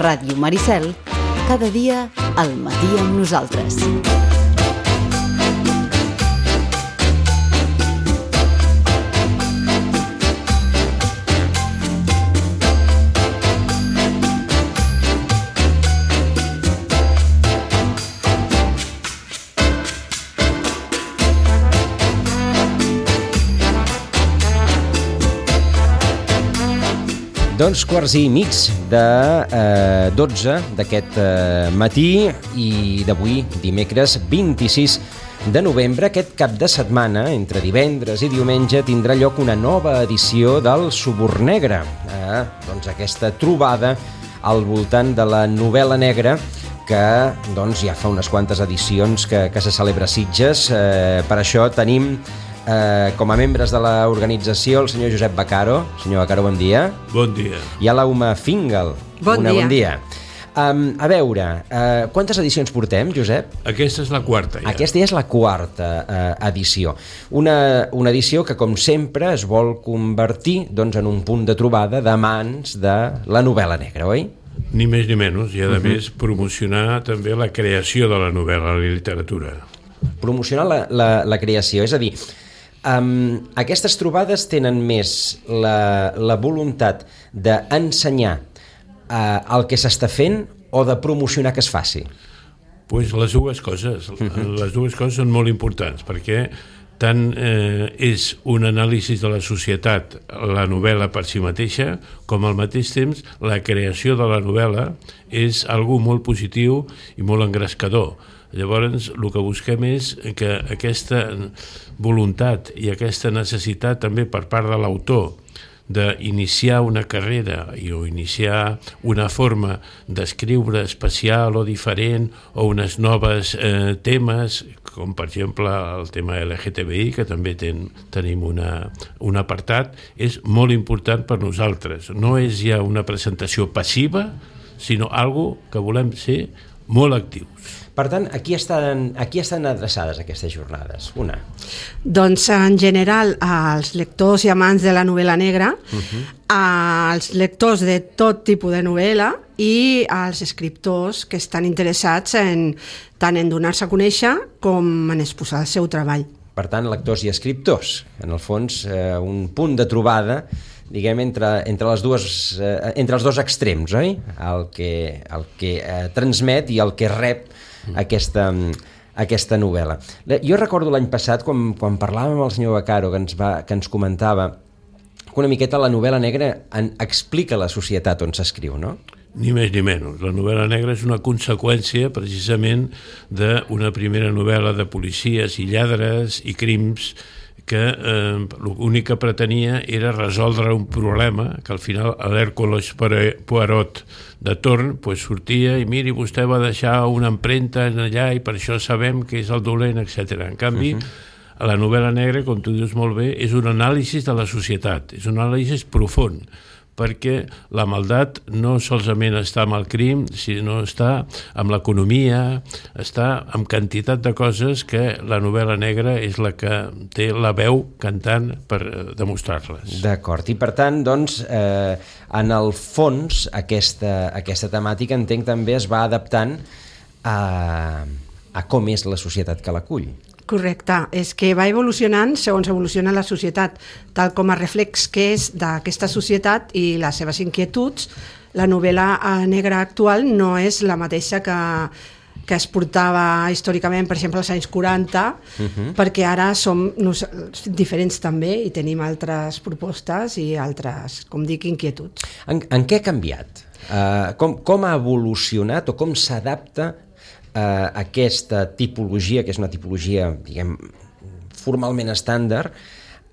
Ràdio Maricel, cada dia al matí amb nosaltres. Doncs quarts i mig de 12 d'aquest matí i d'avui, dimecres 26 de novembre. Aquest cap de setmana, entre divendres i diumenge, tindrà lloc una nova edició del Suborn Negre. Doncs aquesta trobada al voltant de la novel·la negra que doncs, ja fa unes quantes edicions que se celebra a Sitges. Per això tenim com a membres de l'organització el senyor Josep Baccaro. Senyor Baccaro, bon dia. Bon dia. I a l'Aume Fingal. Bon dia. A veure, quantes edicions portem, Josep? Aquesta és la quarta, ja. Aquesta ja és la quarta edició. Una edició que, com sempre, es vol convertir doncs, en un punt de trobada d'amants de la novel·la negra, oi? Ni més ni menys, i a més promocionar també la creació de la novel·la, la literatura. Promocionar la creació, és a dir, aquestes trobades tenen més la voluntat d'ensenyar el que s'està fent o de promocionar que es faci? Pues les dues coses. Les dues coses són molt importants, perquè tant és un anàlisi de la societat, la novel·la per si mateixa, com al mateix temps la creació de la novel·la és algo molt positiu i molt engrescador. Llavors, el que busquem és que aquesta voluntat i aquesta necessitat també per part de l'autor d'iniciar una carrera o iniciar una forma d'escriure especial o diferent o unes noves temes, com per exemple el tema LGTBI, que també tenim un apartat, és molt important per nosaltres. No és ja una presentació passiva, sinó algo que volem ser molt actius. Per tant, a qui estan adreçades aquestes jornades? Una. Doncs en general als lectors i amants de la novel·la negra, als lectors de tot tipus de novel·la i als escriptors que estan interessats tant en donar-se a conèixer com en exposar el seu treball. Per tant, lectors i escriptors, en el fons un punt de trobada, diguem, entre els dos extrems, oi? El que transmet i el que rep aquesta novel·la. Jo recordo l'any passat, quan parlàvem amb el senyor Baccaro, que ens comentava que una miqueta la novel·la negra explica la societat on s'escriu, no? Ni més ni menys. La novel·la negra és una conseqüència precisament d'una primera novel·la de policies i lladres i crims que l'únic que pretenia era resoldre un problema que al final l'Hèrcules Poirot de torn sortia i miri, vostè va deixar una empremta allà i per això sabem que és el dolent, etc. En canvi, la novel·la negra, com tu dius molt bé, és un anàlisi de la societat, és un anàlisi profund, perquè la maldat no solament està amb el crim, sinó està amb l'economia, està amb quantitat de coses que la novel·la negra és la que té la veu cantant per demostrar-les. D'acord, i per tant, doncs, en el fons, aquesta temàtica, entenc, també es va adaptant a com és la societat que l'acull. Correcte, és que va evolucionant segons evoluciona la societat, tal com a reflex que és d'aquesta societat i les seves inquietuds. La novel·la negra actual no és la mateixa que es portava històricament, per exemple, als anys 40, perquè ara som diferents també i tenim altres propostes i altres, com dic, inquietuds. En què ha canviat? Com ha evolucionat o com s'adapta aquesta tipologia, que és una tipologia, diguem, formalment estàndard,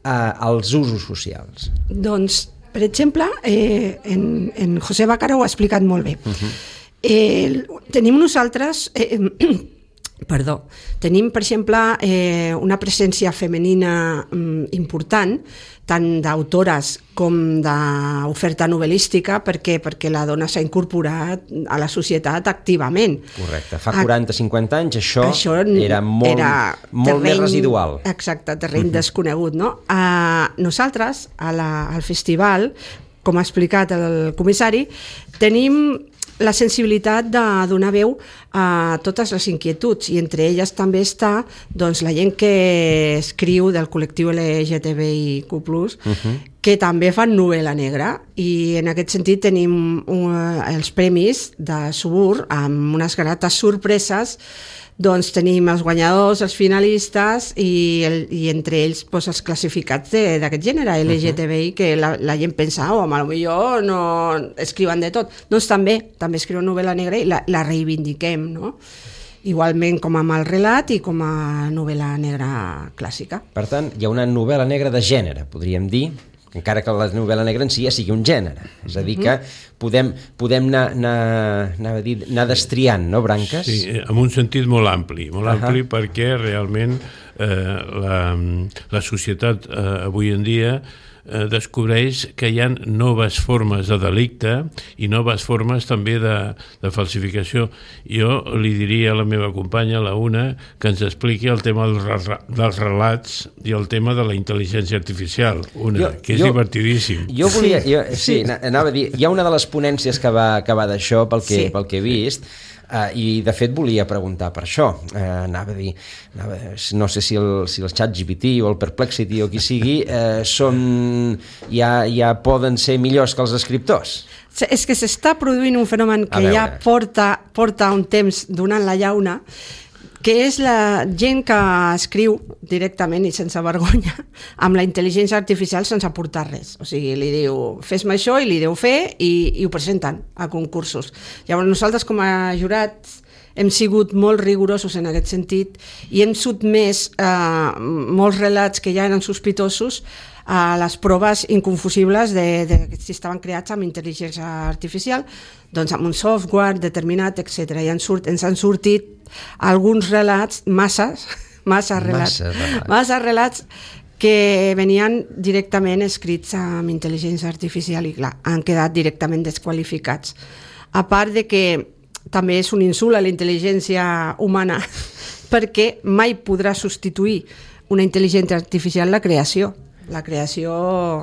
als usos socials? Doncs, per exemple, en José Baccaro ho ha explicat molt bé. Tenim nosaltres... Tenim, per exemple, una presència femenina important, tant d'autores com d'oferta novel·lística, perquè la dona s'ha incorporat a la societat activament. Correcte. Fa 40-50 anys això era molt més residual. Exacte, terreny desconegut, no? Nosaltres, al festival, com ha explicat el comissari, tenim la sensibilitat de donar veu a totes les inquietuds, i entre elles també està doncs, la gent que escriu del col·lectiu LGTBIQ+, que també fan novel·la negra, i en aquest sentit tenim els premis de Subur amb unes grates sorpreses. Doncs tenim els guanyadors, els finalistes i entre ells doncs, els classificats d'aquest gènere LGTBI, que la gent pensa, potser no escriuen de tot. Doncs també escriuen novel·la negra i la reivindiquem, no? Igualment com amb el relat i com a novel·la negra clàssica. Per tant, hi ha una novel·la negra de gènere, podríem dir, encara que la novel·la negra en si ja sigui un gènere. És a dir, que podem anar destriant, no, branques? Sí, en un sentit molt ampli perquè realment la societat avui en dia descobreix que hi ha noves formes de delicte i noves formes també de falsificació. Jo li diria a la meva companya, la Una, que ens expliqui el tema dels relats i el tema de la intel·ligència artificial, que és divertidíssim. Jo volia... anava a dir, hi ha una de les ponències que va d'això, pel que he vist, i de fet volia preguntar per això. Anava a dir, no sé si el ChatGPT o el Perplexity o qui sigui ja poden ser millors que els escriptors. És que s'està produint un fenomen que ja porta un temps donant la llauna, que és la gent que escriu directament i sense vergonya amb la intel·ligència artificial sense aportar res. O sigui, li diu, fes-me això, i li deu fer, i ho presenten a concursos. Llavors, nosaltres com a jurats hem sigut molt rigorosos en aquest sentit i hem sotmès molts relats que ja eren sospitosos a les proves inconfusibles de si estaven creats amb intel·ligència artificial, doncs amb un software determinat, etc. I ens han sortit alguns relats, massa relats que venien directament escrits amb intel·ligència artificial i clar, han quedat directament desqualificats. A part de que també és un insult a la intel·ligència humana perquè mai podrà substituir una intel·ligència artificial la creació. La creació...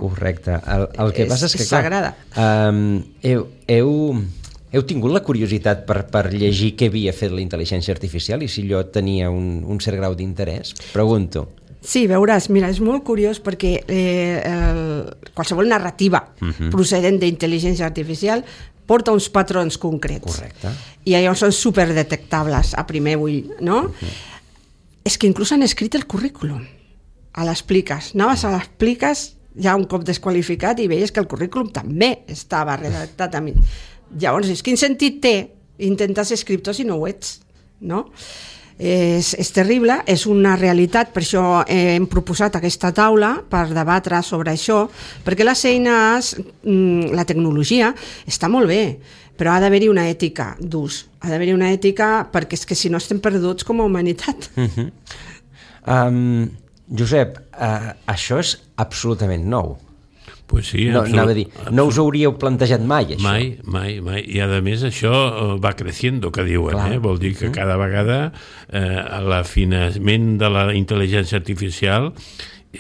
Correcte. El que passa és que, sagrada. Heu tingut la curiositat per llegir què havia fet la intel·ligència artificial i si allò tenia un cert grau d'interès? Pregunto. Sí, veuràs, mira, és molt curiós perquè qualsevol narrativa procedent d'intel·ligència artificial porta uns patrons concrets. Correcte. I llavors són superdetectables a primer ull, no? És que inclús han escrit el currículum. Anaves a l'expliques ja un cop desqualificat i veies que el currículum també estava redactat a mi. Llavors, quin sentit té intentar ser escriptor si no ho ets, no? És terrible, és una realitat, per això hem proposat aquesta taula per debatre sobre això, perquè les eines, la tecnologia està molt bé, però ha d'haver-hi una ètica d'ús, ha d'haver-hi una ètica perquè és que si no estem perduts com a humanitat. Josep, això és absolutament nou. Pues sí, no us hauríeu plantejat mai, això? Mai. I a més això va creciendo, que diuen. Vol dir que cada vegada l'afinament de la intel·ligència artificial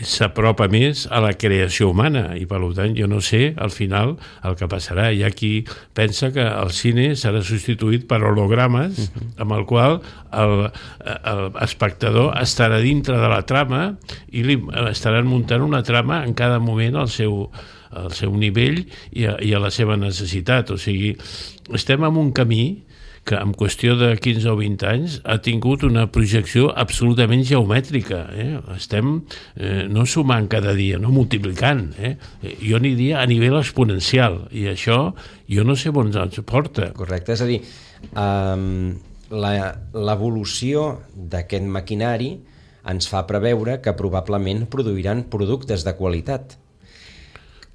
s'apropa més a la creació humana i per tant jo no sé al final el que passarà. Hi ha qui pensa que el cine serà substituït per hologrames amb el qual l'espectador estarà dintre de la trama i li estaran muntant una trama en cada moment al seu nivell i a la seva necessitat. O sigui, estem en un camí que en qüestió de 15 o 20 anys ha tingut una projecció absolutament geomètrica. Estem no sumant cada dia, no multiplicant. Jo aniria a nivell exponencial i això jo no sé on ens porta. Correcte, és a dir, l'evolució d'aquest maquinari ens fa preveure que probablement produiran productes de qualitat.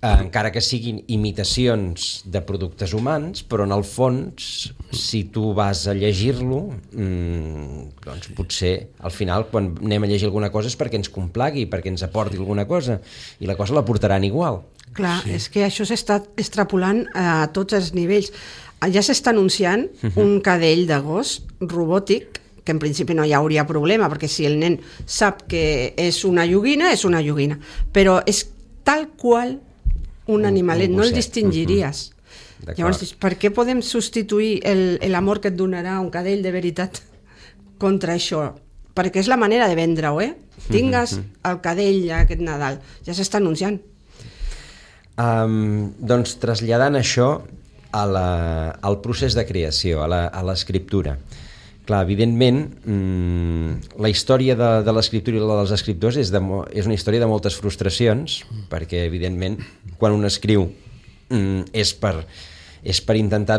Encara que siguin imitacions de productes humans, però en el fons, si tu vas a llegir-lo, doncs potser al final, quan anem a llegir alguna cosa és perquè ens complagui, perquè ens aporti alguna cosa, i la cosa la portaran igual. Clar, sí. És que això s'està extrapolant a tots els nivells. Ja s'està anunciant un cadell de gos robòtic, que en principi no hi hauria problema, perquè si el nen sap que és una joguina, és una joguina, però és tal qual un animalet, no el distingiries. Llavors, per què podem substituir l'amor que et donarà un cadell de veritat contra això? Perquè és la manera de vendre-ho, Tingues el cadell aquest Nadal, ja s'està anunciant. Doncs traslladant això al procés de creació, a l'escriptura. Clar, evidentment, la història de l'escriptura i la dels escriptors és una història de moltes frustracions, perquè, evidentment, quan un escriu és per intentar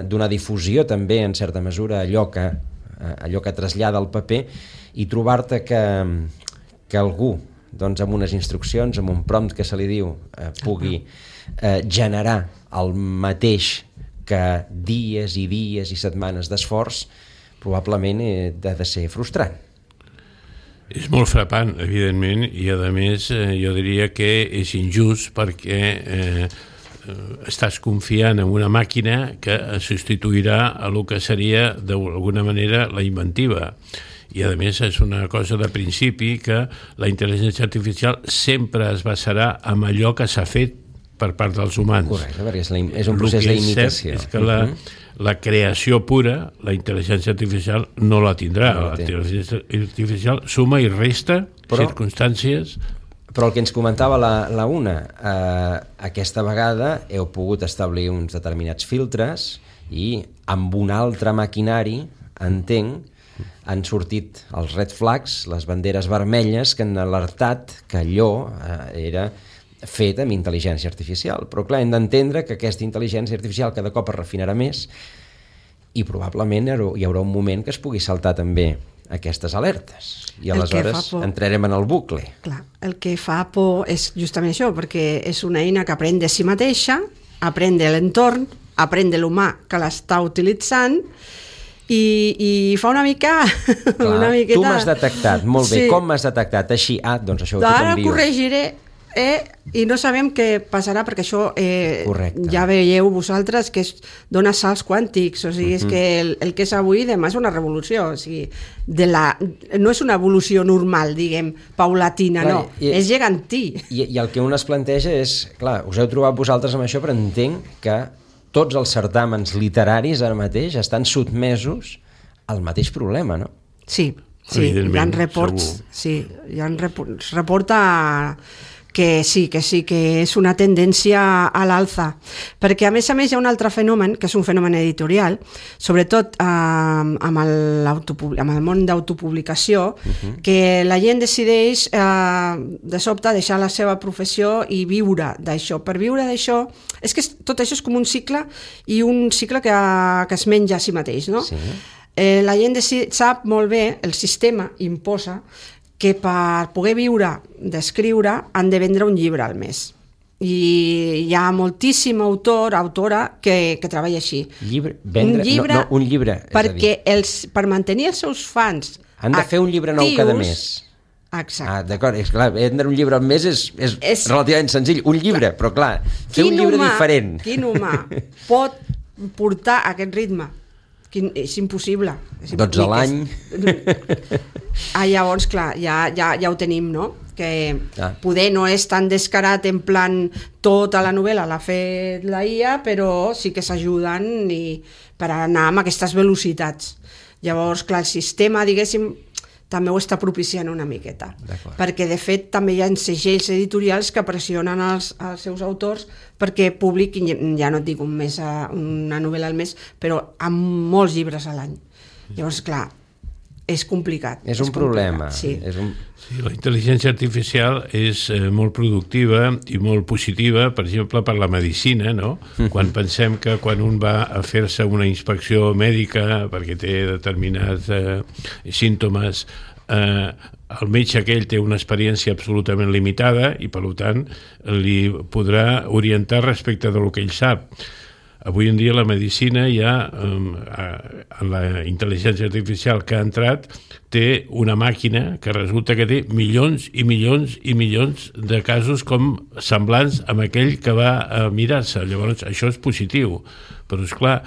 donar difusió també, en certa mesura, allò que trasllada al paper, i trobar-te que algú, doncs, amb unes instruccions, amb un prompt que se li diu, pugui generar el mateix que dies i dies i setmanes d'esforç, probablement ha de ser frustrant. És molt frapant, evidentment, i a més jo diria que és injust perquè estàs confiant en una màquina que substituirà a el que seria d'alguna manera la inventiva. I a més és una cosa de principi que la intel·ligència artificial sempre es basarà en allò que s'ha fet per part dels humans. Correcte, perquè és un procés d'imitació. És que la creació pura, la intel·ligència artificial no la tindrà. La intel·ligència artificial suma i resta circumstàncies. Però el que ens comentava la Una, aquesta vegada heu pogut establir uns determinats filtres i amb un altre maquinari, entenc, han sortit els red flags, les banderes vermelles que han alertat que allò era fet amb intel·ligència artificial. Però clar, hem d'entendre que aquesta intel·ligència artificial cada cop es refinarà més i probablement hi haurà un moment que es pugui saltar també aquestes alertes i aleshores entrarem en el bucle. Clar, el que fa por és justament això, perquè és una eina que aprèn de si mateixa, aprèn de l'entorn, aprèn de l'humà que l'està utilitzant i fa una mica... Clar, una miqueta... Tu m'has detectat, molt bé, com m'has detectat? Així, doncs això ho t'envio. Ara corregiré i no sabem què passarà perquè això ja veieu vosaltres que dona salts quàntics, o sigui, és que el que és avui demà és una revolució, o sigui, no és una evolució normal, diguem, paulatina, no, és gegantí. I el que un es planteja és, clar, us heu trobat vosaltres amb això, però entenc que tots els certàmens literaris ara mateix estan sotmesos al mateix problema, no? Sí, hi ha reports, hi ha reporta que sí, que és una tendència a l'alça, perquè a més hi ha un altre fenomen, que és un fenomen editorial, sobretot amb el món d'autopublicació, que la gent decideix de sobte deixar la seva professió i viure d'això. Per viure d'això, és que tot això és com un cicle, i un cicle que es menja a si mateix, no? Sí. La gent sap molt bé, el sistema imposa que per poder viure d'escriure han de vendre un llibre al mes. I hi ha moltíssim autora que treballa així. Un llibre. Perquè per mantenir els seus fans han de fer un llibre nou cada mes. Exacte. D'acord, és clar, vendre un llibre al mes és relativament senzill. Un llibre, però clar, fer un llibre diferent. Quin humà pot portar aquest ritme? És impossible. 12 a l'any. Llavors, clar, ja ho tenim, no? Que poder no és tan descarat en plan tota la novel·la l'ha fet la IA, però sí que s'ajuden per anar amb aquestes velocitats. Llavors, clar, el sistema, diguéssim, també ho està propiciant una miqueta. Perquè, de fet, també hi ha segells editorials que pressionen els seus autors perquè publiquin, ja no et dic una novel·la al mes, però amb molts llibres a l'any. Llavors, clar, és complicat. És un problema. Sí, la intel·ligència artificial és molt productiva i molt positiva, per exemple, per la medicina, no? Quan pensem que quan un va a fer-se una inspecció mèdica perquè té determinats símptomes, el metge aquell té una experiència absolutament limitada i, per tant, li podrà orientar respecte del que ell sap. Avui en dia la medicina ja, en la intel·ligència artificial que ha entrat, té una màquina que resulta que té milions i milions i milions de casos com semblants amb aquell que va a mirar-se. Llavors, això és positiu. Però, esclar,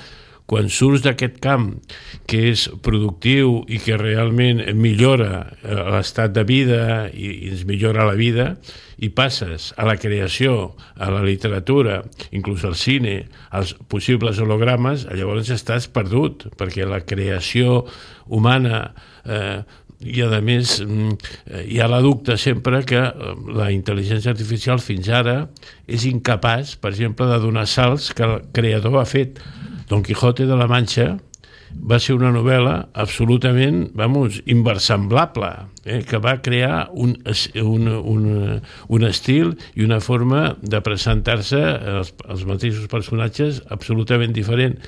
quan surts d'aquest camp que és productiu i que realment millora l'estat de vida i ens millora la vida, i passes a la creació, a la literatura, inclús al cine, als possibles hologrames, llavors estàs perdut, perquè la creació humana i a més hi ha la dubte sempre que la intel·ligència artificial fins ara és incapaç, per exemple, de donar salts que el creador ha fet. Don Quijote de la Manxa va ser una novel·la absolutament, inversemblable, que va crear un estil i una forma de presentar-se als mateixos personatges absolutament diferent.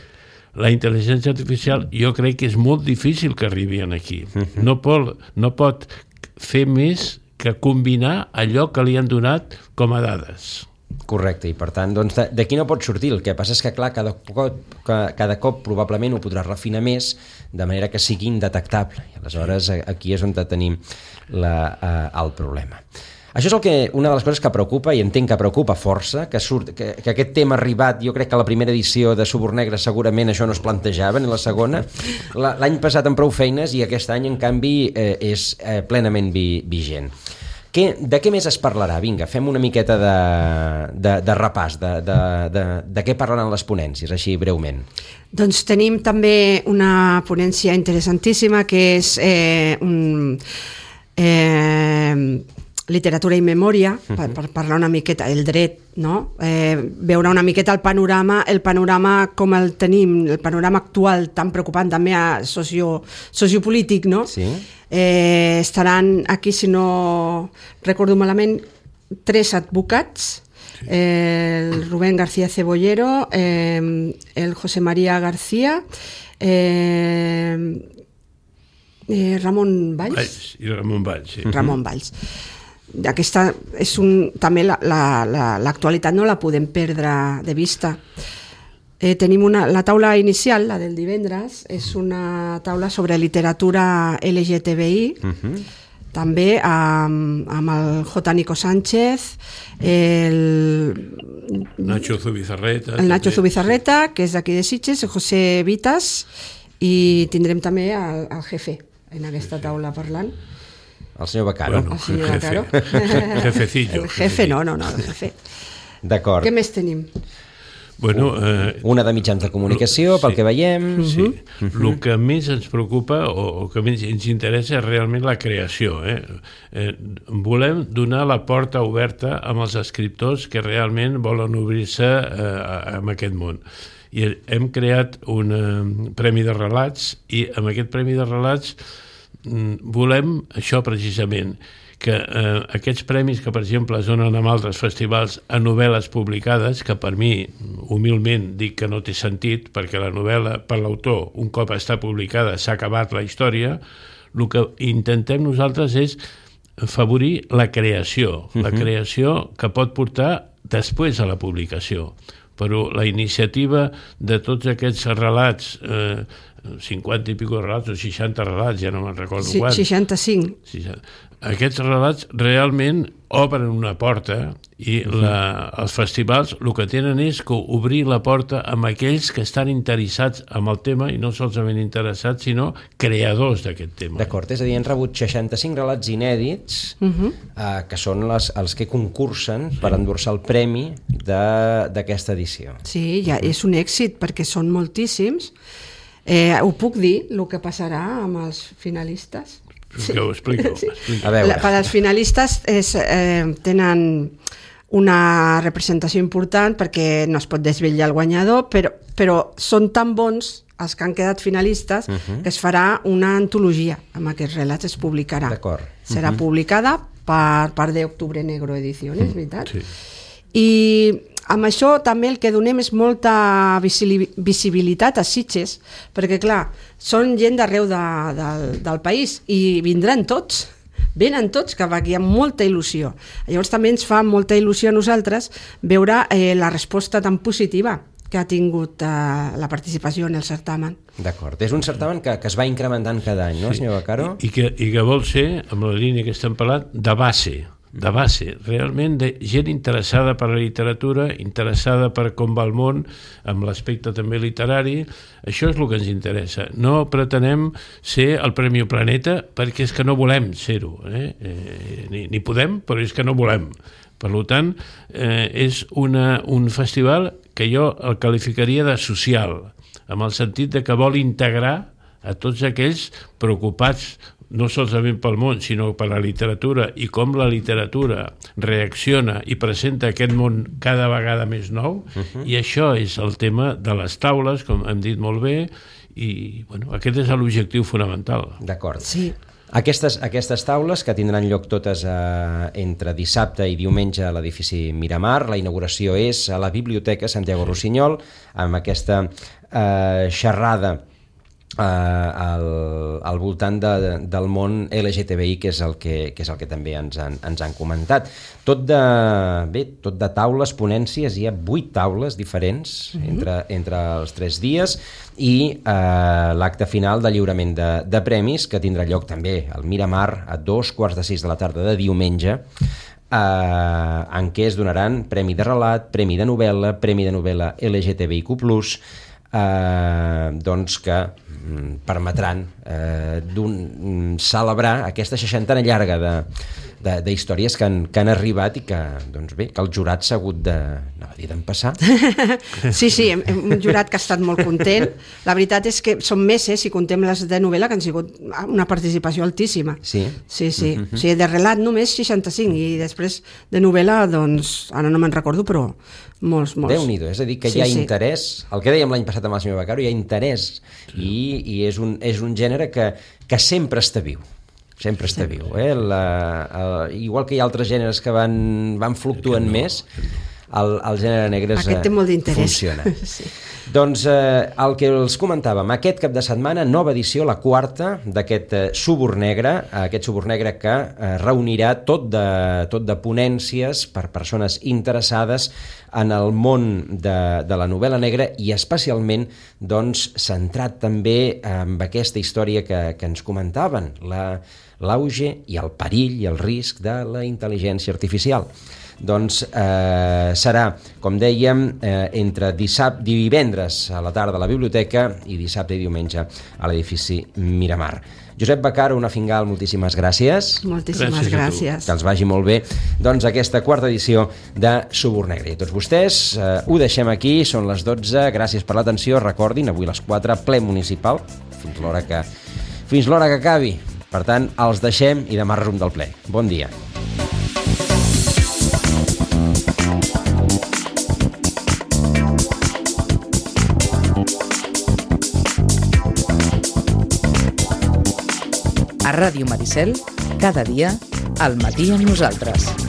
La intel·ligència artificial jo crec que és molt difícil que arribi aquí. No pot fer més que combinar allò que li han donat com a dades. Correcte, i per tant, doncs, d'aquí no pot sortir. El que passa és que, clar, cada cop probablement ho podrà refinar més, de manera que sigui indetectable. I aleshores aquí és on tenim el problema. Això és una de les coses que preocupa, i entenc que preocupa força, que aquest tema ha arribat. Jo crec que a la primera edició de Suborn Negre segurament això no es plantejava, ni la segona. L'any passat amb prou feines, i aquest any, en canvi, és plenament vigent. De què més es parlarà? Vinga, fem una miqueta de repàs de què parlaran les ponències, així breument. Doncs tenim també una ponència interessantíssima que és literatura i memòria, per parlar una miqueta el dret, no? Veure una miqueta el panorama com el tenim, el panorama actual tan preocupant també sociopolític, no? Sí. Estaran aquí, si no recordo malament, 3 advocats, el Rubén García Cebollero, el José María García, Ramon Valls. I Ramon Valls, sí. Ramon Valls. Aquesta és també l'actualitat no la podem perdre de vista. Tenim la taula inicial, la del divendres, és una taula sobre literatura LGTBI, també amb el J. Nico Sánchez, el Nacho Zubizarreta, que és d'aquí de Sitges, el José Vitas, i tindrem també el jefe en aquesta taula parlant. El senyor Beccaro. El senyor Beccaro. Jefecillo. El jefe, no, el jefe. D'acord. Què més tenim? Una de mitjans de comunicació, pel que veiem. Sí. El que més ens preocupa o que més ens interessa és realment la creació. Volem donar la porta oberta amb els escriptors que realment volen obrir-se en aquest món. I hem creat un premi de relats, i amb aquest premi de relats volem això precisament, que aquests premis que, per exemple, es donen en altres festivals a novel·les publicades, que per mi, humilment, dic que no té sentit, perquè la novel·la, per l'autor, un cop està publicada, s'ha acabat la història. El que intentem nosaltres és afavorir la creació que pot portar després a la publicació. Però la iniciativa de tots aquests relats, 50 i pico relats o 60 relats, ja no me'n recordo quants. 65. Aquests relats realment obren una porta, i els festivals el que tenen és obrir la porta amb aquells que estan interessats en el tema, i no solament interessats, sinó creadors d'aquest tema. D'acord, és a dir, han rebut 65 relats inèdits, que són els que concursen per endur-se el premi d'aquesta edició. Sí, ja és un èxit, perquè són moltíssims. Ho puc dir, el que passarà amb els finalistes? Que ho explico. A veure. Per als finalistes tenen una representació important, perquè no es pot desvetllar el guanyador, però són tan bons els que han quedat finalistes que es farà una antologia amb aquests relats, es publicarà. D'acord. Serà publicada per part d'Octubre Negro Ediciones, veritat? Sí. I amb això també el que donem és molta visibilitat a Sitges, perquè clar, són gent d'arreu del país i venen tots cap aquí amb molta il·lusió. Llavors també ens fa molta il·lusió a nosaltres veure la resposta tan positiva que ha tingut la participació en el certamen. D'acord, és un certamen que es va incrementant cada any, no, senyor Beccaro? I que vol ser, amb la línia que estem parlant, de base, de base, realment de gent interessada per la literatura, interessada per com va el món, amb l'aspecte també literari. Això és el que ens interessa. No pretenem ser el Premi Planeta, perquè és que no volem ser-ho. Ni podem, però és que no volem. Per tant, és un festival que jo el qualificaria de social, amb el sentit de que vol integrar a tots aquells preocupats no solament pel món, sinó per la literatura i com la literatura reacciona i presenta aquest món cada vegada més nou, i això és el tema de les taules, com hem dit molt bé, i bueno, aquest és l'objectiu fonamental. D'acord. Sí. Aquestes taules, que tindran lloc totes entre dissabte i diumenge a l'edifici Miramar. La inauguració és a la Biblioteca Santiago Rossinyol, amb aquesta xerrada al voltant del món LGTBI, que és el que també ens han comentat. Tot de taules, ponències, hi ha 8 taules diferents entre els 3 dies, i l'acte final de lliurament de premis, que tindrà lloc també al Miramar a 2:45 de la tarda de diumenge, en què es donaran premi de relat, premi de novel·la LGTBIQ+, doncs que permetran celebrar aquesta 60a llarga de històries que han arribat i que, doncs bé, que el jurat s'ha hagut d'empassar. Sí, un jurat que ha estat molt content. La veritat és que són més, si contem les de novel·la, que han sigut una participació altíssima. Sí? Sí. O sigui, de relat només 65, i després de novel·la, doncs, ara no me'n recordo, però molts. Déu-n'hi-do, és a dir, que hi ha interès, el que dèiem l'any passat amb el senyor Beccaro, hi ha interès, i és un gènere que sempre està viu. Sempre està viu. Igual que hi ha altres gèneres que van fluctuant més, el gènere negre funciona. Sí. Doncs el que els comentàvem, aquest cap de setmana, nova edició, la 4ª d'aquest Suburn Negre, que reunirà tot de ponències per persones interessades en el món de la novel·la negra, i especialment doncs, centrat també en aquesta història que ens comentaven, l'auge i el perill i el risc de la intel·ligència artificial. Doncs serà, com dèiem, entre divendres a la tarda a la biblioteca i dissabte i diumenge a l'edifici Miramar. Josep Beccaro, una Fingal, moltíssimes gràcies. Moltíssimes gràcies. Que els vagi molt bé, doncs, aquesta 4ª edició de Suburn Negre. I tots vostès, ho deixem aquí, són les 12, gràcies per l'atenció, recordin, avui a les 4, ple municipal, fins l'hora que acabi. Per tant, els deixem i demà resum del ple. Bon dia. A Ràdio Maricel, cada dia, al matí amb nosaltres.